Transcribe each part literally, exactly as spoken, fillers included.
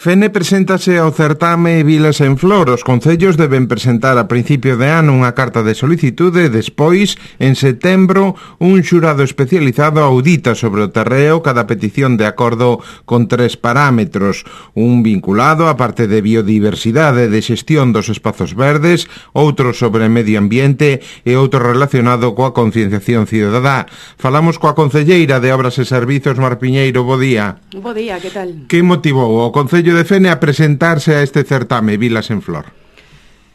Fene preséntase ao certame Vilas en Flor. Os concellos deben presentar a principio de ano unha carta de solicitude e despois, en setembro, un xurado especializado audita sobre o terreo cada petición de acordo con tres parámetros: un vinculado á parte de biodiversidade e de xestión dos espazos verdes, outro sobre medio ambiente e outro relacionado coa concienciación cidadá. Falamos coa concelleira de Obras e Servizos, Mar Piñeiro. Bo día. Bo día, que tal? Que motivou o Concello de Fene a presentarse a este certame Vilas en Flor?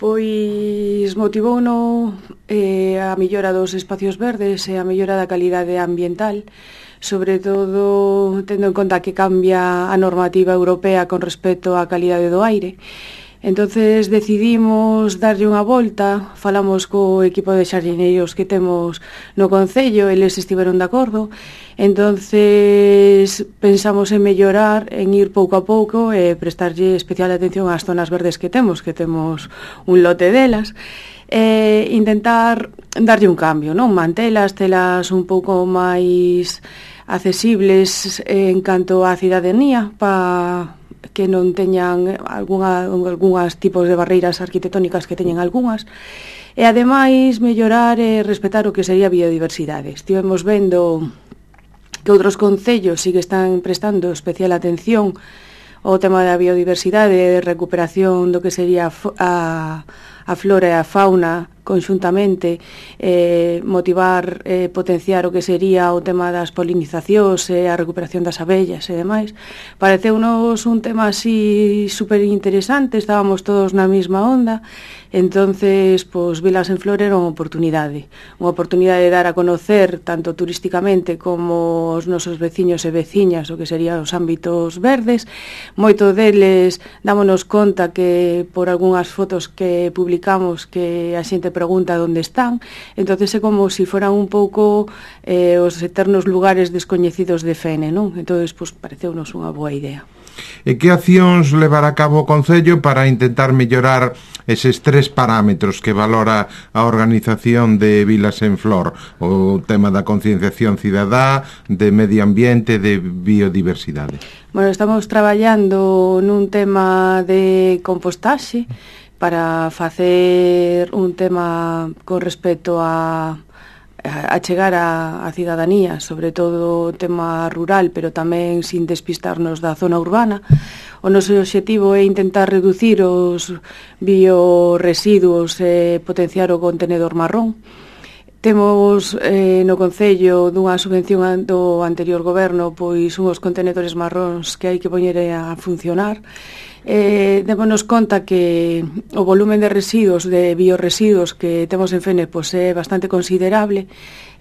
Pois motivouno eh, a mellora dos espacios verdes e a mellora da calidade ambiental, sobre todo tendo en conta que cambia a normativa europea con respecto á calidade do aire. Entonces decidimos darlle unha volta, falamos co equipo de xardineiros que temos no Concello, eles estiveron de acordo, entonces pensamos en mellorar, en ir pouco a pouco e prestarlle especial atención ás zonas verdes que temos, que temos un lote delas, e intentar darlle un cambio, non? Mantelas, telas un pouco máis accesibles en canto á cidadanía, para que non teñan algunha, algunhas tipos de barreiras arquitectónicas que teñen algunhas, e ademais mellorar e respetar o que sería a biodiversidade. Estivemos vendo que outros concellos sí que están prestando especial atención ao tema da biodiversidade e de recuperación do que sería a, a flora e a fauna conxuntamente, eh, motivar, eh, potenciar o que sería o tema das polinizacións e a recuperación das abellas e demais. Pareceunos un tema así super interesante, estábamos todos na mesma onda, entonces, pois, Vilas en Flor era unha oportunidade, unha oportunidade de dar a conocer, tanto turísticamente como os nosos veciños e veciñas, o que serían os ámbitos verdes. Moito deles dámonos conta que, por algunhas fotos que publicamos, que a xente pregunta onde están, entonces é como se si foran un pouco eh, os eternos lugares descoñecidos de Fene, non? Entonces, pois, pareceunos unha boa idea. E que accións levar a cabo o Concello para intentar mellorar eses tres parámetros que valora a organización de Vilas en Flor? O tema da concienciación cidadá, de medio ambiente, de biodiversidade. Bueno, estamos traballando nun tema de compostaxe para facer un tema con respecto a a chegar a, a cidadanía, sobre todo o tema rural, pero tamén sin despistarnos da zona urbana. O noso obxectivo é intentar reducir os bioresiduos e potenciar o contenedor marrón. Temos eh, no Concello dunha subvención do anterior goberno pois unhos contenedores marróns que hai que poñer a funcionar. Eh, démonos conta que o volumen de residuos, de bioresiduos que temos en Fene pois, é bastante considerable,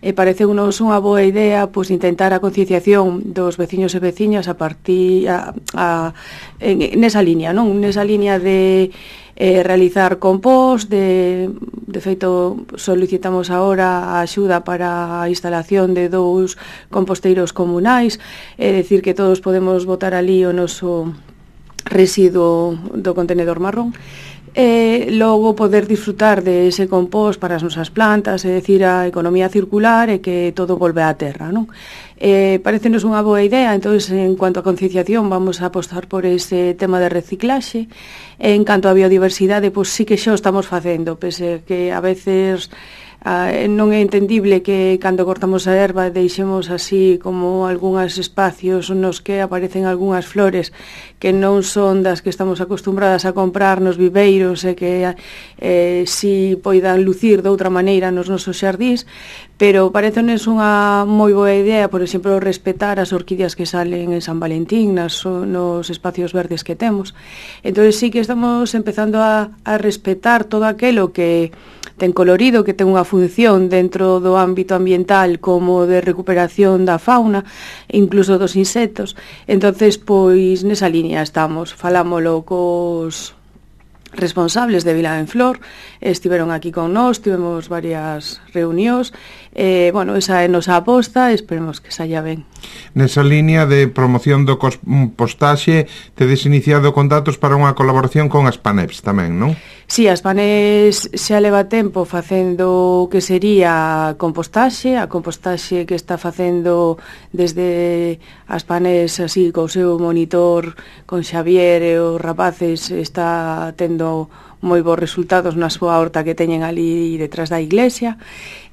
e pareceunos unha boa idea pois, intentar a concienciación dos veciños e veciñas a partir a, a, en, nesa línea, non? Nesa línea de eh, realizar compost, de, de feito solicitamos agora a axuda para a instalación de dous composteiros comunais, é dicir que todos podemos botar ali o noso residuo do contenedor marrón, e logo poder disfrutar de ese compost para as nosas plantas, é dicir, a economía circular e que todo volve á terra, non? Eh, parecenos unha boa idea, entonces, en cuanto a concienciación, vamos a apostar por ese tema de reciclaxe. En canto a biodiversidade, pois sí que xa o estamos facendo, pese que a veces Ah, non é entendible que cando cortamos a erva deixemos así como algúns espacios nos que aparecen algunhas flores que non son das que estamos acostumbradas a comprar nos viveiros e que eh, si poidan lucir de outra maneira nos nosos xardís, pero parecenos unha moi boa idea, por exemplo, respetar as orquídeas que salen en San Valentín nas, nos espacios verdes que temos. Entón sí que estamos empezando a, a respetar todo aquelo que ten colorido, que ten unha función dentro do ámbito ambiental como de recuperación da fauna, incluso dos insectos. Entonces, pois, nesa línea estamos, falámolo cos responsables de Vila en Flor, estiveron aquí con nós, tivemos varias reunións, e, bueno, esa é nosa aposta, esperemos que saia ben. Nesa línea de promoción do compostaxe, tedes iniciado contactos para unha colaboración con as PANEPs tamén, non? Si, as PANEPs xa leva tempo facendo o que sería compostaxe, a compostaxe que está facendo desde as PANEPs así, co seu monitor, con Xavier e os rapaces, está tendo moi bons resultados na súa horta que teñen ali detrás da iglesia.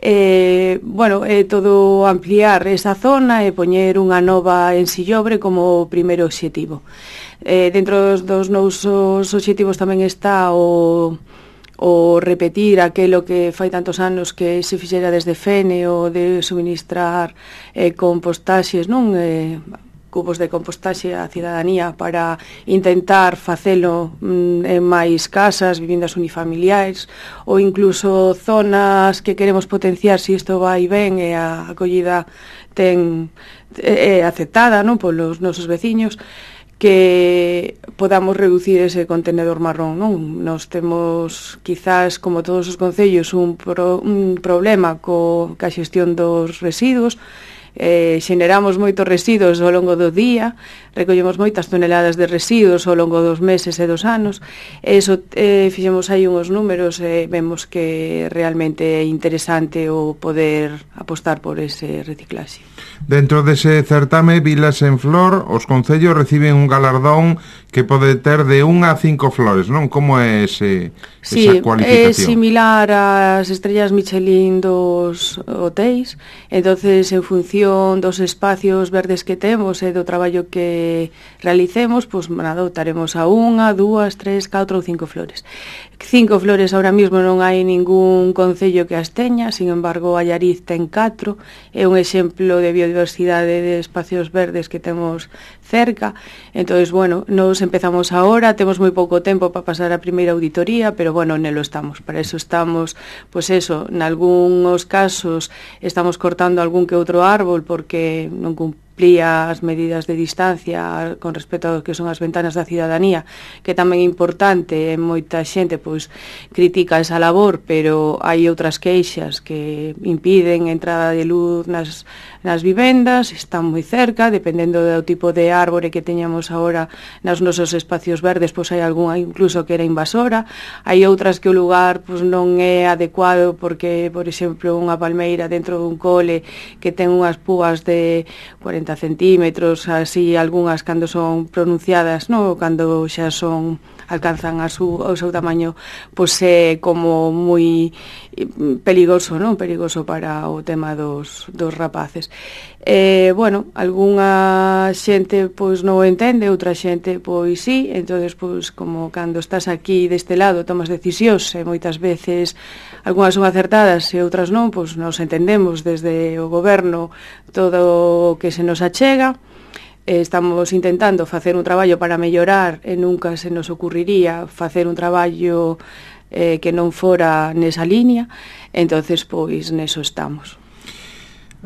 Eh, bueno, é todo ampliar esa zona e poñer unha nova en Sillobre como primeiro obxectivo. Eh, dentro dos, dos nosos obxectivos tamén está o, o repetir aquelo que fai tantos anos que se fixera desde Fene, o de suministrar eh, compostaxes, non? Eh, cubos de compostaxe á cidadanía para intentar facelo mm, en máis casas, viviendas unifamiliares ou incluso zonas que queremos potenciar se isto vai ben e a acollida ten é aceptada, non, polos nosos veciños, que podamos reducir ese contenedor marrón, non? Nos temos, quizás, como todos os concellos, un, pro, un problema co, ca xestión dos residuos. Eh, xeneramos moitos residuos ao longo do día, recollemos moitas toneladas de residuos ao longo dos meses e dos anos, e iso eh, fixemos aí uns números e eh, vemos que realmente é interesante o poder apostar por ese reciclaxe. Dentro dese certame Vilas en Flor, os concellos reciben un galardón que pode ter de unha a cinco flores, non? Como é ese, sí, esa cualificación? É similar ás estrellas Michelin dos hotéis, entonces en función dos espacios verdes que temos e do traballo que realicemos, pois nada, optaremos a unha, dúas, tres, catro ou cinco flores. Cinco flores ahora mismo non hai ningún concello que as teña, sin embargo Allariz ten catro, é un exemplo de biodiversidade de espacios verdes que temos cerca. Entonces, bueno, nos empezamos ahora, temos moi pouco tempo para pasar a primeira auditoría, pero bueno, nelo estamos. Para eso estamos, pois eso, nalgúns casos estamos cortando algún que outro árbol porque non cumplimos as medidas de distancia con respecto ao que son as ventanas da cidadanía, que tamén é importante, e moita xente pois critica esa labor, pero hai outras queixas que impiden a entrada de luz nas, nas vivendas, están moi cerca, dependendo do tipo de árbore que teñamos agora nos nosos espacios verdes, pois hai algunha incluso que era invasora, hai outras que o lugar pois non é adecuado porque, por exemplo, unha palmeira dentro dun cole que ten unhas púas de cuarenta centímetros, así algunhas cando son pronunciadas, no, cando xa son alcanzan a su, o seu tamaño, pois é como moi perigoso, non? Perigoso para o tema dos, dos rapaces. Eh, bueno, algunha xente pois non o entende, outra xente pois sí, entonces pois como cando estás aquí deste lado tomas decisións e moitas veces algunhas son acertadas e outras non, pois nos entendemos desde o goberno todo o que se nos achega. Estamos intentando facer un traballo para mellorar e nunca se nos ocurriría facer un traballo eh, que non fora nesa línea, entonces pois neso estamos.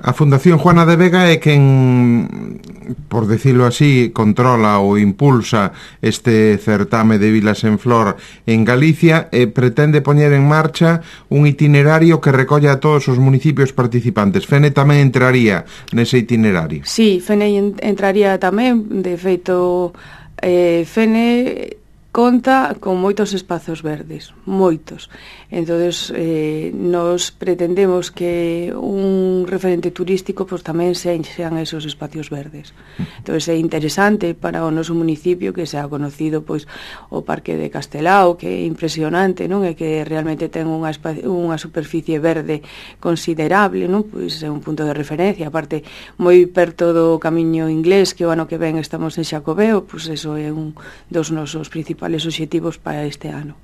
A Fundación Juana de Vega é quen, por decirlo así, controla ou impulsa este certame de Vilas en Flor en Galicia e pretende poñer en marcha un itinerario que recolla a todos os municipios participantes. Fene tamén entraría nese itinerario? Sí, Fene entraría tamén, de feito, eh, Fene conta con moitos espazos verdes, moitos. Entonces, eh, nos pretendemos que un referente turístico pues, tamén sean esos espacios verdes. Entonces, é interesante para o noso municipio que sea conocido pois, o Parque de Castelao, que é impresionante, non? E que realmente ten unha, unha superficie verde considerable, non? Pois é un punto de referencia. Aparte, moi perto do Camiño Inglés, que o ano que ven estamos en Xacobeo, pois eso é un dos nosos principales obxectivos para este ano.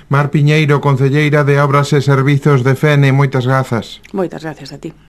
Mar Piñeiro, concelleira de Obras e Servizos de Fene, moitas grazas. Moitas gracias a ti.